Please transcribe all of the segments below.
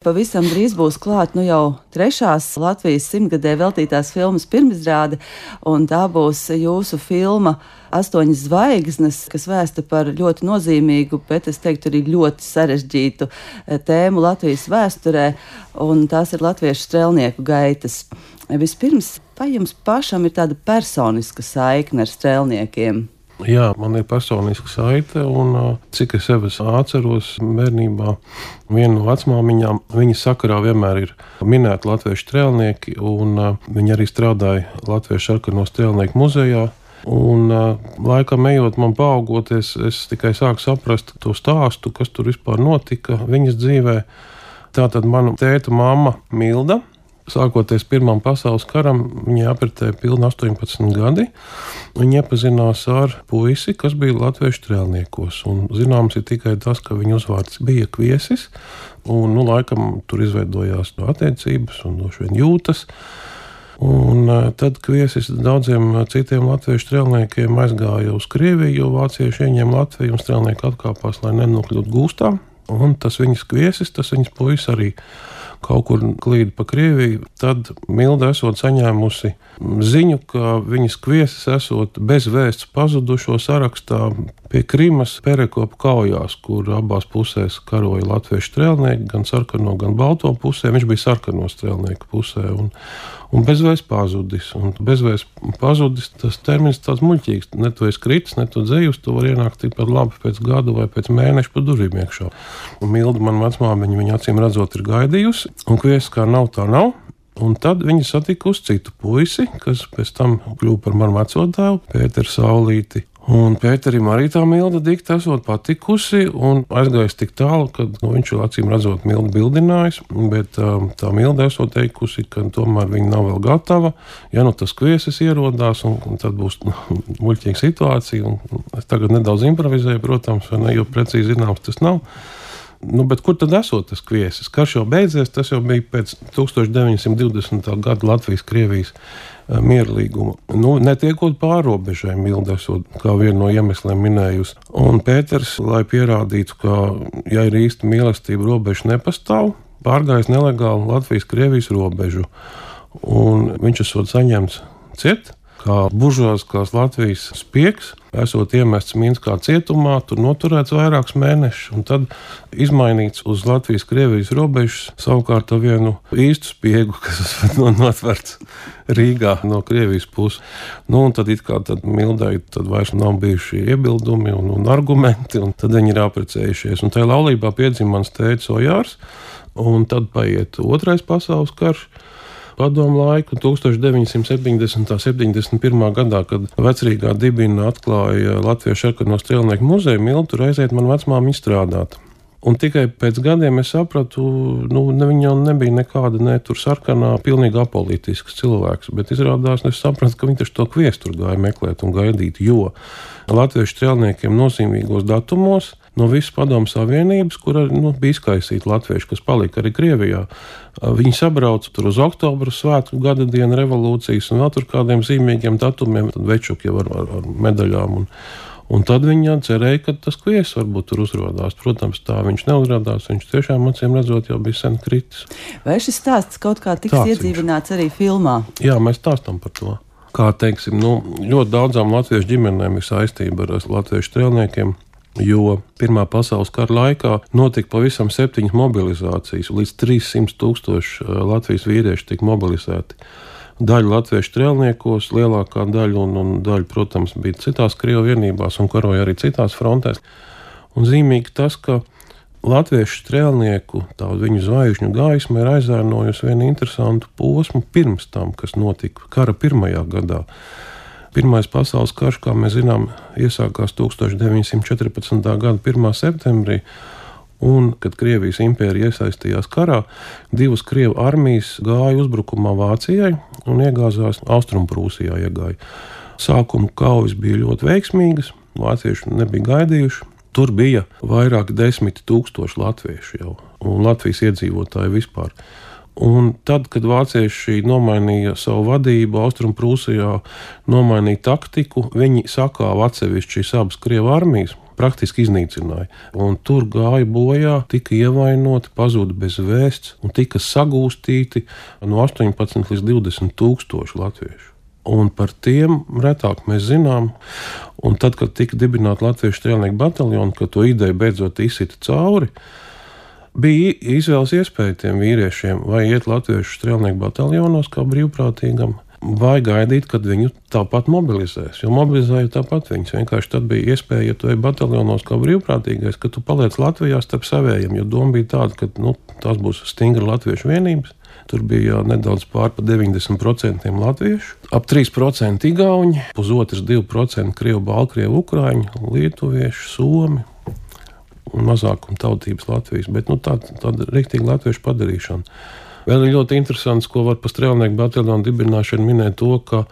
Pavisam drīz būs klāt jau trešās Latvijas 100-gadē veltītās filmas pirmizrāde, un tā būs jūsu filma 8 zvaigznes, kas vēsta par ļoti nozīmīgu, bet es teiktu arī ļoti sarežģītu tēmu Latvijas vēsturē, un tās ir latviešu strēlnieku gaitas. Vispirms, vai jums pašam ir tāda personiska saikne ar strēlniekiem? Jā, man ir personiska saite, un cik es sevi atceros bērnībā, viena no vecmāmiņām, viņas sakarā vienmēr ir minēti latviešu strēlnieki, un viņi arī strādāja Latviešu sarkano strēlnieku muzejā. Un laikam ejot man paaugoties, es tikai sāku saprast to stāstu, kas tur vispār notika viņas dzīvē. Tātad mana tēta mamma Milda, sākoties Pirmam pasaules karam, viņai apritēja pilni 18 gadi. Viņa iepazinās ar puisi, kas bija latviešu strēlniekos. Un zināms ir tikai tas, ka viņa uzvārds bija Kviesis. Un, laikam tur izveidojās attiecības un droši vien jūtas. Un tad Kviesis daudziem citiem latviešu strēlniekiem aizgāja uz Krieviju, jo vācieši ieņēma Latviju un strēlnieki atkāpās, lai nenokļūtu gūstā. Un tas viņas Kviesis, tas viņas puisis arī kaut kur klīda pa Krieviju. Tad Milda esot saņēmusi ziņu, ka viņas Kviesis esot bez vēsts pazudušo sarakstā pie Krimas Perekopa kaujās, kur abās pusēs karoja latviešu strēlnieki, gan sarkano, gan balto pusē. Viņš bija sarkano strēlnieku pusē un bezvēsts pazudis. Un bezvēsts pazudis, tas termins tāds muļķīgs. Ne tu esi kritis, ne tu dzējus, tu var ienākt tikpat labi pēc gada vai pēc mēneša pa durvīm iekšā. Un Milda, man vecmāmiņa, viņa acīm redzot ir gaidījusi, un Kviesis kā nav, tā nav. Un tad viņa satika uz citu puisi, kas pēc tam kļuva par manu veco tēvu, Pēteru Saulīti. Un Pēterim arī tā Milda dikti esot patikusi un aizgājis tik tālu, ka viņš acīm redzot Mildu bildinājis, bet tā Milda esot teikusi, ka tomēr viņa nav vēl gatava. Ja tas Kviesis ierodās, un tad būs muļķīga situācija, un es tagad nedaudz improvizēju, protams, vai ne, jo precīzi zināms tas nav. Bet kur tad esot tas Kviesis? Karš jau beidzies, tas jau bija pēc 1920. gada Latvijas-Krievijas miera līguma. Netiekot pārrobežai, Milda esot kā vienu no iemesliem minējusi. Un Pēters, lai pierādītu, ka, ja ir īsta mīlestība, robeža nepastāv, pārgājis nelegāli Latvijas-Krievijas robežu. Un viņš esot saņemts ciet, kā buržuāziskās Latvijas spiegs, esot iemests Minskā cietumā, tur noturēts vairākus mēnešus, un tad izmainīts uz Latvijas-Krievijas robežas, savukārt ar vienu īstu spiegu, kas notverts Rīgā no Krievijas puses. Un tad it kā tad Mildai tad vairs nav bijuši iebildumi un argumenti, un tad viņi ir apprecējušies. Un tajā laulībā piedzima mans tētis Ojārs, un tad paiet Otrais pasaules karš. Padomu laiku 1970. 71. gadā, kad Vecrīgā dibina atklāja Latviešu sarkano strēlnieku muzeju, Milda tur aiziet man vecmāmiņa strādāt. Un tikai pēc gadiem es sapratu, viņa jau nebija nekāda tur sarkanā, pilnīgi apolitisks cilvēks, bet izrādās, es sapratu, ka viņi taču to Kviesi tur gāja meklēt un gaidīt, jo latviešu strēlniekiem nozīmīgos datumos no visas Padomu Savienības, kur bija izkaisīti latvieši, kas palika arī Krievijā. Viņi sabrauca tur uz oktobra svētku gada dienu revolūcijas un vēl tur kādiem zīmīgiem datumiem, tad večuki jau ar medaļām. Un tad viņi cerēja, ka tas Kviesis varbūt tur uzrodās. Protams, tā viņš neuzrādās, viņš tiešām acīm redzot jau bija sen kritis. Vai šis stāsts kaut kā tiks iedzīvināts arī filmā? Jā, mēs stāstam par to. Kā teiksim, ļoti daudzām latviešu ģimenēm ir saistība ar latviešu strēlniekiem, jo Pirmā pasaules kara laikā notika pavisam 7 mobilizācijas, līdz 300 000 Latvijas vīrieši tika mobilizēti. Daļa latviešu strēlniekos, lielākā daļa un daļa, protams, bija citās Krievu vienībās un karoja arī citās frontēs. Un zīmīgi tas, ka latviešu strēlnieku, tādu viņu zvaigžņu gaisma ir aizēnojusi vienu interesantu posmu pirms tam, kas notika kara pirmajā gadā. Pirmais pasaules karš, kā mēs zinām, iesākās 1914. gada 1. septembrī, un, kad Krievijas impērija iesaistījās karā, 2 Krievu armijas gāja uzbrukumā Vācijai un iegāzās Austrumprūsijā iegāja. Sākuma kaujas bija ļoti veiksmīgas, vācieši nebija gaidījuši. Tur bija vairāk 10 000 latviešu jau, un Latvijas iedzīvotāji vispār. Un tad, kad vācieši nomainīja savu vadību Austrumprūsijā, nomainīja taktiku, viņi sakāva atsevišķi šīs abas Krievu armijas, praktiski iznīcināja. Un tur gāja bojā, tika ievainoti, pazuda bez vēsts un tika sagūstīti no 18 līdz 20 tūkstoši latviešu. Un par tiem retāk mēs zinām. Un tad, kad tika dibināta Latviešu strēlnieku bataljona, kad to ideju beidzot izsita cauri, bija izvēles iespēja tiem vīriešiem vai iet Latviešu strēlnieku bataljonos kā brīvprātīgam, vai gaidīt, kad viņu tāpat mobilizēs. Jo mobilizēja tāpat viņus. Vienkārši tad bija iespēja, ja tu ej bataljonos kā brīvprātīgais, ka tu paliec Latvijā starp savējiem, jo doma bija tāda, ka tās būs stingra latviešu vienības. Tur bija nedaudz pār pa 90% latviešu, ap 3% igauņi, pusotrs 2% krievu, baltkrievu, ukraiņu, lietuviešu, somi un mazākuma tautības Latvijas. Bet tāda riktīga latviešu padarīšana. Vēl ir ļoti interesants, ko var par strēlnieku bataljonu dibināšanu minēt to, ka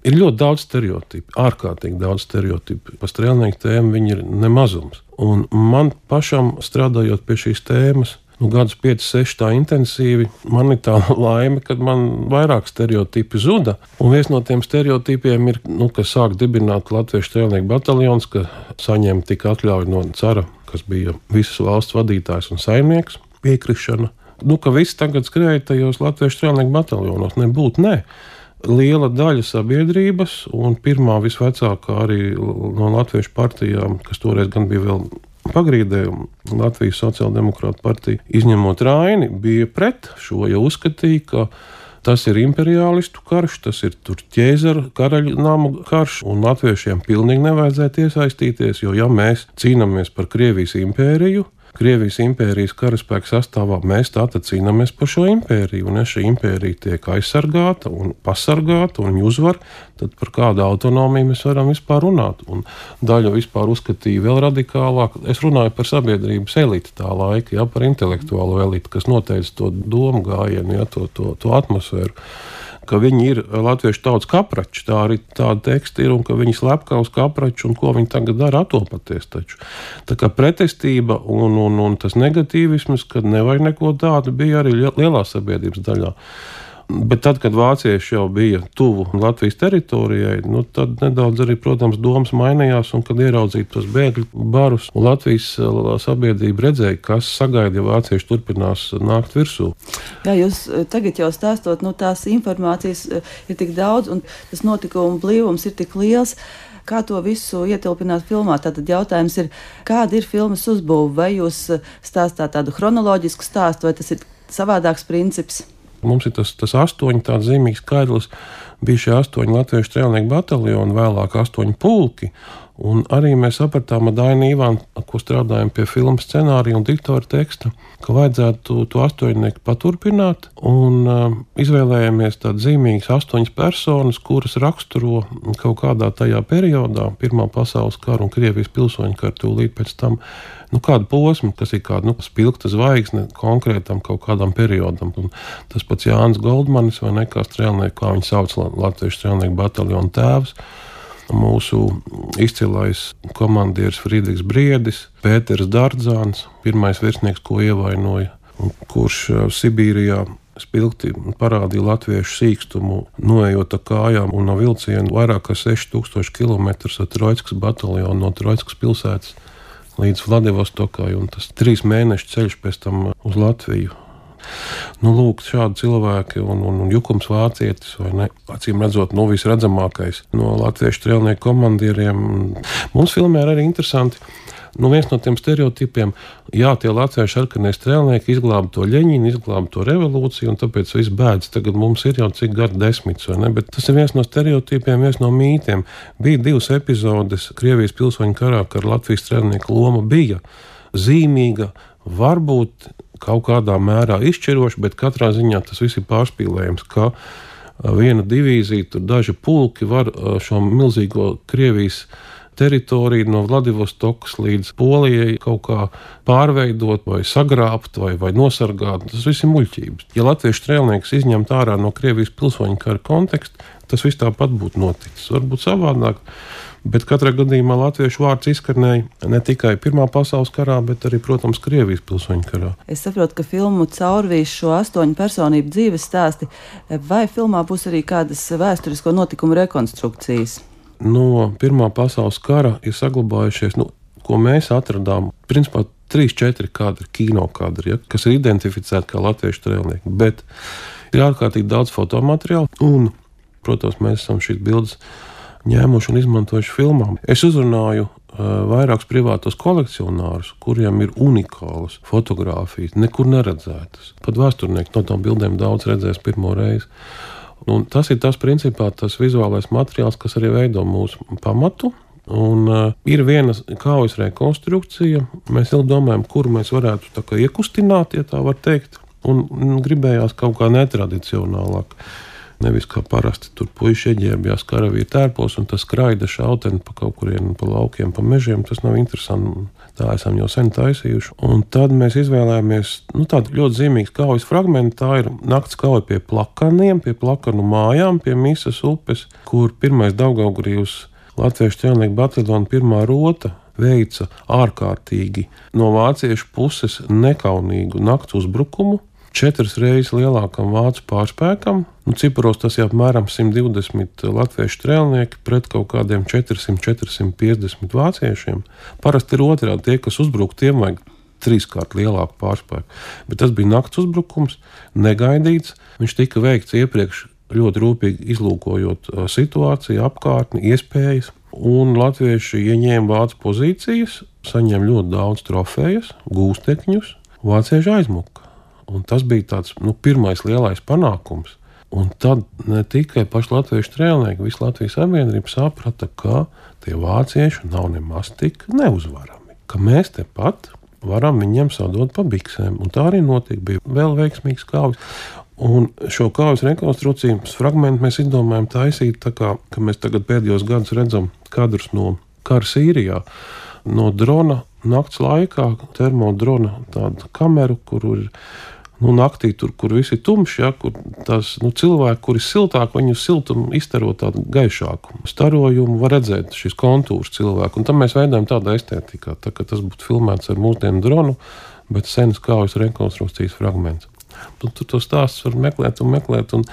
ir ļoti daudz stereotipu, ārkārtīgi daudz stereotipu. Par strēlnieku tēmu viņi ir nemazums. Un man pašam strādājot pie šīs tēmas, gadus 5-6 tā intensīvi, man ir tā laime, kad man vairāk stereotipi zuda. Un viens no tiem stereotipiem ir, ka sāk dibināt Latviešu strēlnieku bataljons, ka saņem tik atļauju no cara, kas bija visas valsts vadītājs un saimnieks, piekrišana. Ka viss tagad skrēja tajos Latviešu strēlnieku bataljonos. Nebūtu, ne. Liela daļa sabiedrības un pirmā visvecākā arī no Latviešu partijām, kas toreiz gan bija vēl pagrīdē, Latvijas sociāldemokrāta partija, izņemot Raini, bija pret šo, jo uzskatīja, ka tas ir imperialistu karš, tas ir tur ķēzara karaļa nama karš, un latviešiem pilnīgi nevajadzētu iesaistīties, jo ja mēs cīnāmies par Krievijas impēriju, Krievijas impērijas karaspēka sastāvā, mēs tātad cīnāmies par šo impēriju, un ja šī impērija tiek aizsargāta un pasargāta un uzvar, tad par kādu autonomiju mēs varam vispār runāt. Un daļu vispār uzskatīja vēl radikālāk. Es runāju par sabiedrības eliti tā laika, par intelektuālo eliti, kas noteica to domu gājienu, to atmosfēru. Ka viņi ir latviešu tautas kaprači, tā arī tāda teksta ir, un ka viņi slepkā uz kapraču, un ko viņi tagad dara, atopaties taču. Tā kā pretestība un tas negatīvisms, kad nevajag neko tādu, bija arī lielā sabiedrības daļā. Bet tad, kad vācieši jau bija tuvu Latvijas teritorijai, tad nedaudz arī, protams, domas mainījās, un kad ieraudzīja tos bēgļu barus, un Latvijas sabiedrība redzēja, kas sagaida, ja vācieši turpinās nākt virsū. Jā, jūs tagad jau stāstot, tās informācijas ir tik daudz, un tas notikumu blīvums ir tik liels. Kā to visu ietilpināt filmā? Tātad jautājums ir, kāda ir filmas uzbūve? Vai jūs stāstāt tādu chronoloģisku stāstu, vai tas ir savādāks princips? Mums ir tas 8 tāds zīmīgs skaidrs, bija šie 8 latviešu strēlnieku bataljoni, vēlāk 8 pulki, un arī mēs sapratām ar Dainu Ivānu, ko strādājam pie filmas scenārija un diktora teksta, ka vajadzētu to 8 paturpināt, un izvēlējāmies tādas zīmīgas 8 personas, kuras raksturo kaut kādā tajā periodā, Pirmā pasaules kara un Krievijas pilsoņu kara tūlīt pēc tam, kādu posmu, kas ir kāda spilgta zvaigzne konkrētam kaut kādam periodam. Un tas pats Jānis Goldmanis, vai ne, kā strēlnieku, kā viņi sauc Latviešu strēlnieku bataljonu tēvs, mūsu izcilais komandieris Friedrichs Briedis, Pēters Dardzāns, pirmais virsnieks, ko ievainoja, kurš Sibīrijā spilgti parādīja latviešu sīkstumu, noejot ar kājām un no vilcienu vairāk kā 6000 km ar Troickas bataljonu no Troickas pilsētas līdz Vladivostokai, un tas 3 mēnešu ceļš pēc tam uz Latviju. Lūk, šādi cilvēki un Jukums Vācietis, vai ne, acīm redzot, visredzamākais no latviešu strēlnieku komandieriem. Mums filmē arī interesanti, viens no tiem stereotipiem, tie latviešu sarkanie strēlnieki izglāba to Ļeņinu, izglāba to revolūciju, un tāpēc viss bēdz. Tagad mums ir jau cik gadu 10, vai ne, bet tas ir viens no stereotipiem, viens no mītiem. Bija 2 epizodes Krievijas pilsoņu karā, kad Latvijas strēlnieku loma bija zīmīga, varbūt kaut kādā mērā izšķiroša, bet katrā ziņā tas viss ir pārspīlējams, ka viena divīzija, tur daži pulki var šo milzīgo Krievijas teritoriju no Vladivostokas līdz Polijai kaut kā pārveidot vai sagrābt vai nosargāt. Tas viss ir muļķības. Ja latviešu strēlnieks izņemt ārā no Krievijas pilsoņu kara konteksta, tas viss tāpat būtu noticis. Varbūt savādāk, bet katrā gadījumā latviešu vārds izskanēja ne tikai Pirmā pasaules karā, bet arī, protams, Krievijas pilsoņu karā. Es saprotu, ka filmu caurvīs šo 8 personību dzīves stāsti, vai filmā būs arī kādas vēsturisko notikumu rekonstrukcijas? No Pirmā pasaules kara ir saglabājušies, ko mēs atradām, principā 3-4 kadri, kino kadri, kas ir identificēti kā latviešu strēlnieki, bet ir ārkārtīgi daudz fotomateriālu, un, protams, mēs esam šīs bildes ņēmuši un izmantojuši filmām. Es uzrunāju vairākus privātos kolekcionārus, kuriem ir unikālas fotogrāfijas, nekur neredzētas. Pat vēsturnieki no tām bildēm daudz redzēs pirmo reizi. Un tas ir tas principā tas vizuālais materiāls, kas arī veido mūsu pamatu. Un ir viena kaujas rekonstrukcija. Mēs ilgi domājam, kuru mēs varētu tā kā iekustināt, ja tā var teikt. Un gribējās kaut kā netradicionālāk. Nevis kā parasti tur puiši ieģērbjās karavīru tērpos un tas skraida šauteni pa kaut kurien, pa laukiem, pa mežiem. Tas nav interesanti. Tā esam jau sen taisījuši. Un tad mēs izvēlējāmies tādu ļoti zīmīgu kaujas fragmentu. Tā ir nakts kauja pie plakaniem, pie plakanu mājām, pie Misas upes, kur pirmais Daugavgrīvs Latviešu strēlnieku bataljona 1. rota veica ārkārtīgi no vāciešu puses nekaunīgu nakts uzbrukumu 4 reizes lielākam vācu pārspēkam. Ciparos tas ir apmēram 120 latviešu strēlnieki pret kaut kādiem 400-450 vāciešiem. Parasti ir otrādi, tie, kas uzbruk, tiem vajag 3-kārt lielāku pārspēku. Bet tas bija nakts uzbrukums, negaidīts. Viņš tika veikts iepriekš ļoti rūpīgi izlūkojot situāciju, apkārtni, iespējas. Un latvieši ieņēma vācu pozīcijas, saņēma ļoti daudz trofejas, gūstekņus, vācieši aizmuka. Un tas bija tāds pirmais lielais panākums. Un tad ne tikai paši latviešu strēlnieki, visa Latvijas sabiedrība saprata, ka tie vācieši nav nemaz tik neuzvarami. Ka mēs tepat varam viņiem sadot pa biksēm. Un tā arī notika, bija vēl veiksmīgs kaujas. Un šo kaujas rekonstrukcijas fragmentu mēs izdomājam taisīt tā kā, ka mēs tagad pēdējos gadus redzam kadrus no kara Sīrijā, no drona nakts laikā, termodrona tādu kameru, kur ir naktī, tur, kur viss ir tumšs, kur tās cilvēki, kuri ir siltāki, viņu siltumu izstaro tādu gaišāku starojumu, var redzēt šīs kontūras cilvēku. Un tam mēs veidojam tādā estētikā, tā ka tas būtu filmēts ar mūsdienu dronu, bet senas kaujas rekonstrukcijas fragments. Tur to stāsts var meklēt, un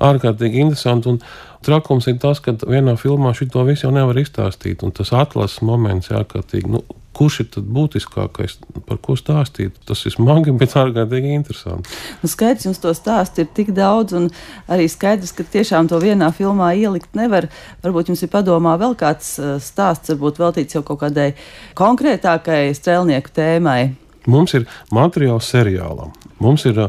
ārkārtīgi interesanti. Un trakums ir tas, ka vienā filmā šito visu jau nevar izstāstīt, un tas atlases moments ir ārkārtīgi, kurš ir tad būtiskākais, par ko stāstīt? Tas ir smagi, bet ārkārtīgi interesanti. Skaidrs, jums to stāstu ir tik daudz, un arī skaidrs, ka tiešām to vienā filmā ielikt nevar. Varbūt jums ir padomā vēl kāds stāsts, varbūt veltīts jau kaut kādai konkrētākai strēlnieku tēmai. Mums ir materiāls seriālam. Mums ir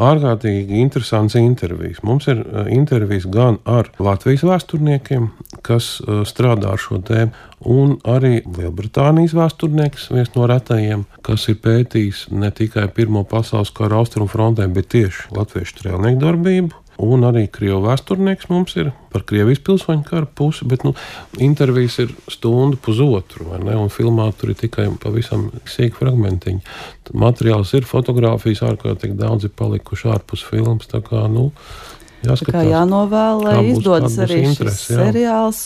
ārkārtīgi interesants intervijas. Mums ir intervijas gan ar Latvijas vēsturniekiem, kas strādā ar šo tēmu, un arī Lielbritānijas vēsturnieks, viens no retajiem, kas ir pētījis ne tikai Pirmo pasaules kara austrumu frontē, bet tieši latviešu strēlnieku darbību. Un arī krievu vēsturnieks mums ir par Krievijas pilsoņu kara pusi, bet intervijas ir stundu pusotru, vai ne? Un filmā tur ir tikai pavisam sīki fragmentiņi. Materiāls ir, fotogrāfijas ārkārtīgi daudz ir palikuši ārpus filmas, tā kā, jāskatās. Tā kā jānovēl, lai izdodas arī šis seriāls,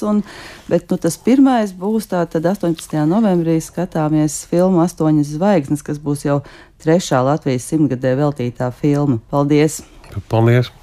bet tas pirmais būs tātad 18. novembrī skatāmies filmu 8 zvaigznes, kas būs jau 3. Latvijas 100-gadē veltītā filma. Paldies! Paldies!